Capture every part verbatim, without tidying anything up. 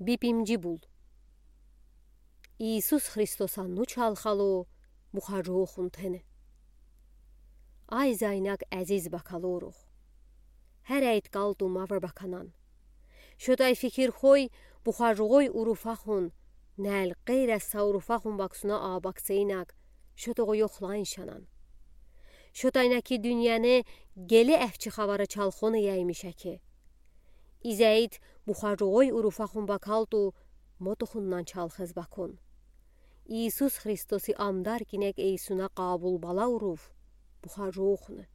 Bipimci bul. İisus Hristosa nu çalxalo buxacoxun tene. Ay zaynak əziz bakaloruq. Hərəy tıkaltu mavr bakanan. Şotay fikir xoy buxacoğoy urufaxun, nəl qeyrəssa urufaxun baksuna a bakseynak, şotoğu yoxlayın şanan. Şotay nə ki dünyane qeli əfçi xavarı çalxon eyəmişə ki. İzəyit buxacoğoy urufaxun bakaltu motoxundan çalxız bakon. İisus Hristosi amdar kinək eysuna qabul bala uruf buxacoxunı.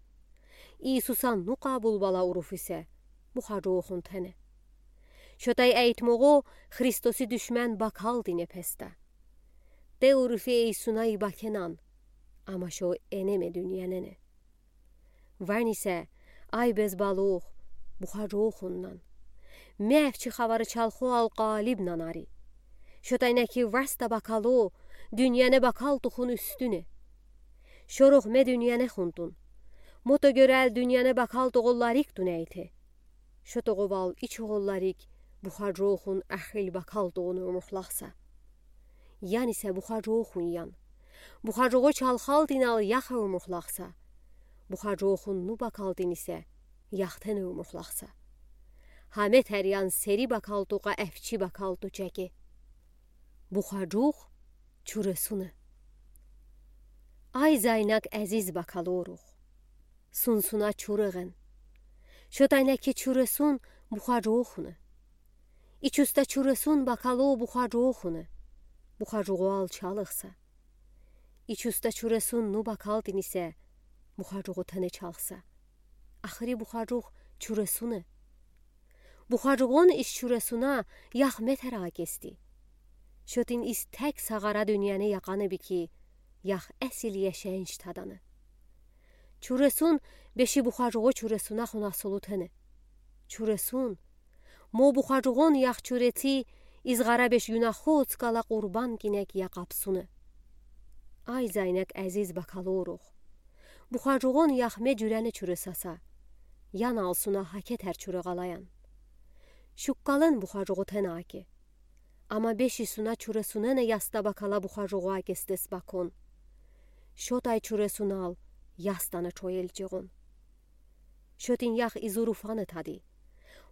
İisusa nu qabul bala uruf isə buxacoxun tene. Şotay əytmoğo Hristosi duşmən bakaltine pestə. De urufi eysuna ibakenan, amma şo eneme dünyanene. Varnisə, ay bez balox buxacoxunnan. Me əfçi xavarı çalxoal qalibnan ari. Şotay nə ki vastə bakalo dünyane bakaltuxun üstüne. Şorox me dünyanexuntun. Moto görəl dünyane bakaltuğollariktun əyte. Şotoğoval içoğollarik buxacoxun əxil bakaltuğun urmuxlaqsa. Yanisə buxacoxun yan. Buxacoğo çalxaltın al yax urmuxlaqsa. Buxacoxun nu bakaltın isə yaxten urmuxlaqsa. Həmə təryan seri bakaltuğa əfçi bakaltu çəke. Buxacox çurəsunı. Ay zaynak əziz bakaloruq. Sunsuna çurığın. Şotay nə ki çurəsun buxacoxunı. İçustə çurəsun bakalo buxacoxunı. Buxacoğoal çalıqsa. İçustə çurəsun nu bakaltın isə buxacoğo tene çalıqsa. Axıri buxacox çurəsunı. Buxacoğon iş çurəsuna yax me tərə akesti. Şotin iz tək sağara dünyane yaqanı bi ki, yax əsil yaşayış tadanı. Çurəsun beşi buxacoğo çurəsunaxon asılı tene. Çurəsun, mo buxacoğon yax çurəti izğara beş yunaxo otkala qurban kinək yaqabsunı. Ay zaynak əziz bakaloruq. Buxacoğon yax me cürəni çurəsasa. Yan alsuna həkə tər çurə qalayan. Şuqqalın buxacoğo tene ake. Amma beşi suna çurəsunenə yastə bakala buxacoğo akestes bakon. Şotay çurəsunal yastanı çoyelçeğon. Şotin yax iz urufanı tadi.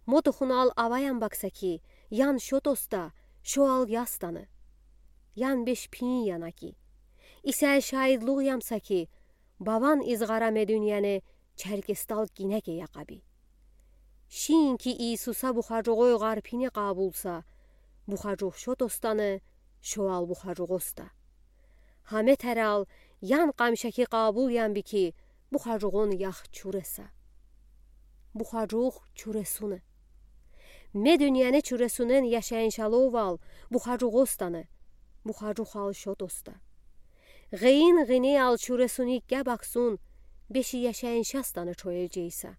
Motoxunal avayan baksa ki, yan şot osta, şoal yastanı. Yan beş piyin yana ki. İsə şaidluq yamsa ki, bavan izğara me dünyane çərkestal kinəke yaqabi. Şiin ki İisusa buxacoğoy ğarpine qabulsa, buxacoğ şot ostanı, şoal buxacoğ osta. Həmə tərəl yan qamişə ki qabul yan bi ki, buxacoğon yax çurəsə. Buxacoğ çurəsunı. Me dünyane çurəsunen yaşayış aloval buxacoğ ostanı, buxacoğal şot osta. Ğeyin ğineyal çurəsuni qə baksun, beşi yaşayış astanı çoyelceysə.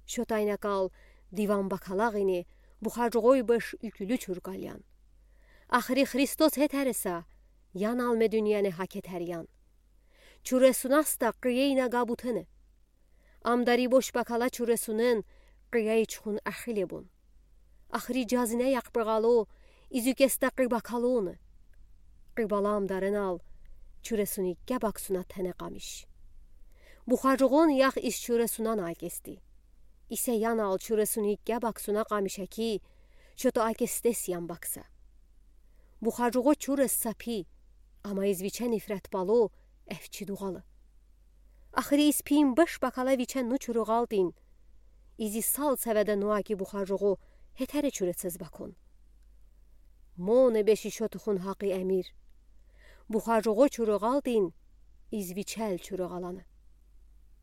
Şotay nə kal divan bakala ğini buxacoğoy beş ükülü çurqalyan. Axıri Hristos hetərəsə, yan al me dünyane həkə təryan. Çurəsunəsə qiyeynə qabutene. Amdari boş bakala çurəsunen qiyəy çxun əxile bun. Axıri cazinə yaqbığalo, izükestə qibakalonı. Qibala amdarınal çurəsuni qə baksuna tənə qamiş. Buxacoğon yax iz çurəsunan akesti. İsə yan al çurəsuni qə baksuna qamişə ki, şoto akestes yan baksa. Buxacoğo çurəsə pi, amma iz viçə nifrət balo əfçi doğalı. Axıri iz piyin bış bakala viçə nu çurığaltın. İzi sal səvədə noə ki buxacoğo hetərə çurəsız bakon. Monə beşi şotuxun haqi əmir. Buxacoğo çurığaltın, iz viçəl çurığalanı.